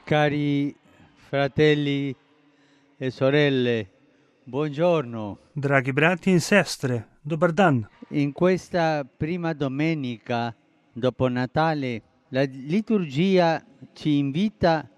Cari fratelli e sorelle, buongiorno. Dragi brati in sestre, dobar dan. In questa prima domenica dopo Natale, la liturgia ci invita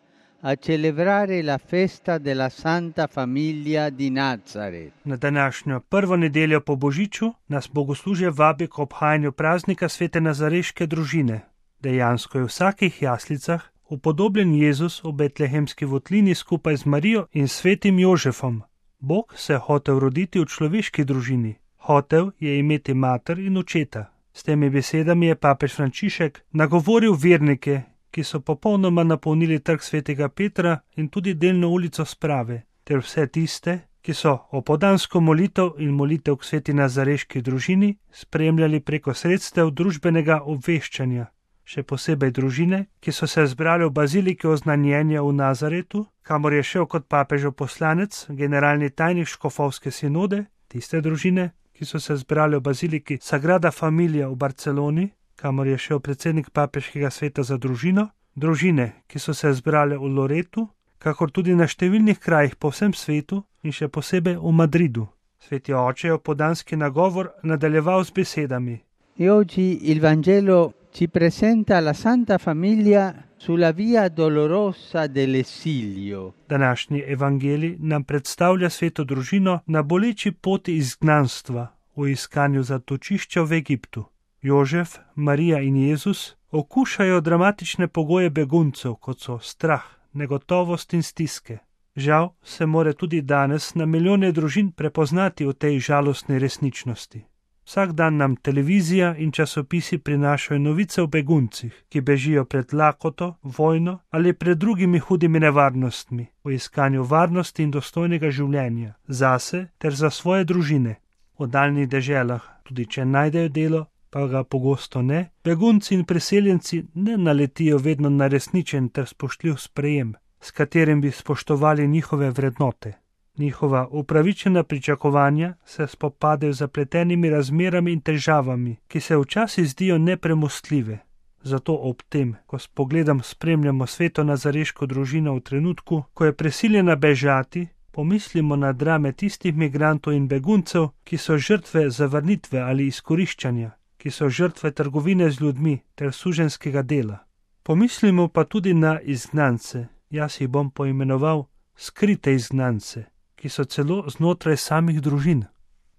a celebrare la festa della Santa Famiglia di Nazaret. Na današnjo prvo nedeljo po Božiču nas bogoslužje vabi k obhajanju praznika svete nazareške družine. Dejansko je v vsakih jaslicah upodobljen Jezus v betlehemski votlini skupaj z Marijo in svetim Jožefom. Bog se je hotel roditi v človeški družini. Hotel je imeti mater in očeta. S temi besedami je papež Frančišek nagovoril vernike, ki so popolnoma napolnili trg svetega Petra in tudi delno ulico Sprave, ter vse tiste, ki so opoldansko molitev in molitev k sveti nazareški družini spremljali preko sredstev družbenega obveščanja. Še posebej družine, ki so se zbrali v baziliki Oznanjenja v Nazaretu, kamor je šel kot papežev poslanec, generalni tajnik škofovske sinode, tiste družine, ki so se zbrali v baziliki Sagrada Familia v Barceloni, kamor je šel predsednik papeškega sveta za družino, družine, ki so se zbrali v Loretu, kakor tudi na številnih krajih po vsem svetu in še posebej v Madridu. Sveti oče je opoldanski nagovor nadaljeval z besedami. E oggi il Vangelo ci presenta la Santa Famiglia sulla via dolorosa dell'esilio. Današnji evangelij nam predstavlja sveto družino na boleči poti izgnanstva v iskanju zatočišča v Egiptu. Jožef, Marija in Jezus okušajo dramatične pogoje beguncev, kot so strah, negotovost in stiske. Žal se more tudi danes na milijone družin prepoznati v tej žalostni resničnosti. Vsak dan nam televizija in časopisi prinašajo novice o beguncih, ki bežijo pred lakoto, vojno ali pred drugimi hudimi nevarnostmi, v iskanju varnosti in dostojnega življenja, zase ter za svoje družine. V daljnih deželah, tudi če najdejo delo, pa ga pogosto ne, begunci in priseljenci ne naletijo vedno na resničen ter spoštljiv sprejem, s katerim bi spoštovali njihove vrednote. Njihova upravičena pričakovanja se spopadajo z zapletenimi razmerami in težavami, ki se včasih zdijo nepremostljive. Zato ob tem, ko s pogledom spremljamo sveto nazareško družino v trenutku, ko je prisiljena bežati, pomislimo na drame tistih migrantov in beguncev, ki so žrtve zavrnitve ali izkoriščanja, ki so žrtve trgovine z ljudmi ter suženjskega dela. Pomislimo pa tudi na izgnance, jaz jih bom poimenoval skrite izgnance, ki so celo znotraj samih družin.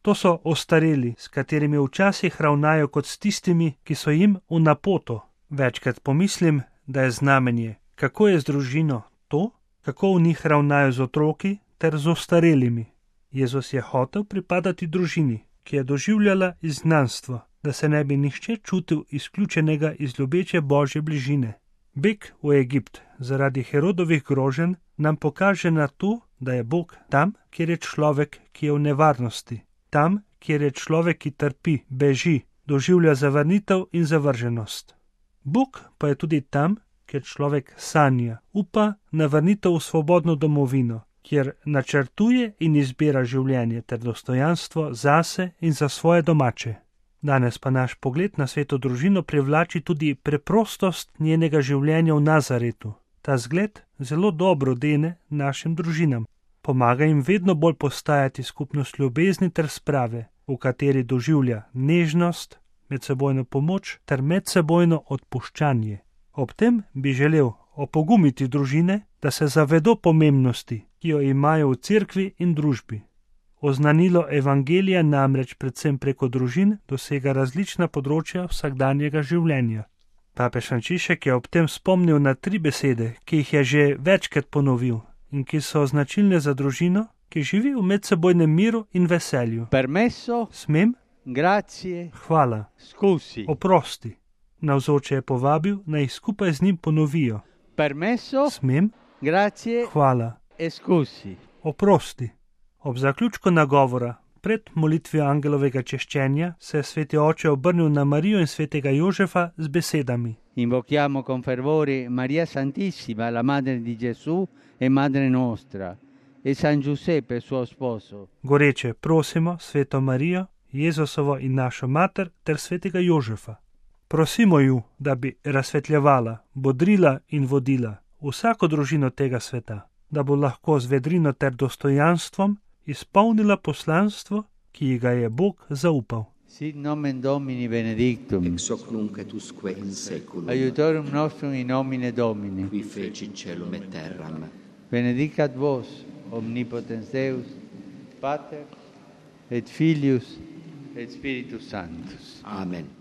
To so ostareli, s katerimi včasih ravnajo kot s tistimi, ki so jim v napoto. Večkrat pomislim, da je znamenje, kako je z družino to, kako v njih ravnajo z otroki ter z ostarelimi. Jezus je hotel pripadati družini, ki je doživljala izgnanstvo, da se ne bi nihče čutil izključenega iz ljubeče Božje bližine. Beg v Egipt zaradi Herodovih groženj nam pokaže na to, da je Bog tam, kjer je človek, ki je v nevarnosti, tam, kjer je človek, ki trpi, beži, doživlja zavrnitev in zavrženost. Bog pa je tudi tam, kjer človek sanja, upa na vrnitev v svobodno domovino, kjer načrtuje in izbira življenje ter dostojanstvo zase in za svoje domače. Danes pa naš pogled na sveto družino privlači tudi preprostost njenega življenja v Nazaretu. Ta zgled zelo dobro dene našim družinam. Pomaga jim vedno bolj postajati skupnost ljubezni ter sprave, v kateri doživlja nežnost, medsebojno pomoč ter medsebojno odpuščanje. Ob tem bi želel opogumiti družine, da se zavedo pomembnosti, ki jo imajo v cerkvi in družbi. Oznanilo evangelija namreč predvsem preko družin dosega različna področja vsakdanjega življenja. Papež Frančišek je ob tem spomnil na 3 besede, ki jih je že večkrat ponovil in ki so značilne za družino, ki živi v medsebojnem miru in veselju. Permesso, Smem, grazie, hvala, scusi. oprosti. Navzoče je povabil, naj jih skupaj z njim ponovijo. Permesso, Smem, grazie hvala, e scusi. oprosti. Ob zaključku nagovora, pred molitvijo angelovega češčenja, se je sveti oče obrnil na Marijo in svetega Jožefa z besedami. Invochiamo con fervore Maria Santissima, la Madre di Gesù e Madre nostra, e San Giuseppe, suo sposo. Goreče prosimo sveto Marijo, Jezusovo in našo mater ter svetega Jožefa. Prosimo ju, da bi razsvetljevala, bodrila in vodila vsako družino tega sveta, da bo lahko z vedrino ter dostojanstvom izpolnila poslanstvo, ki ji ga je Bog zaupal. Sit nomen Domini benedictum, ex hoc nunc et usque in seculum, aiutorium nostrum in nomine Domini, qui feci celum et terram. benedicat vos, omnipotens Deus, Pater, et Filius, et Spiritus Sanctus. Amen.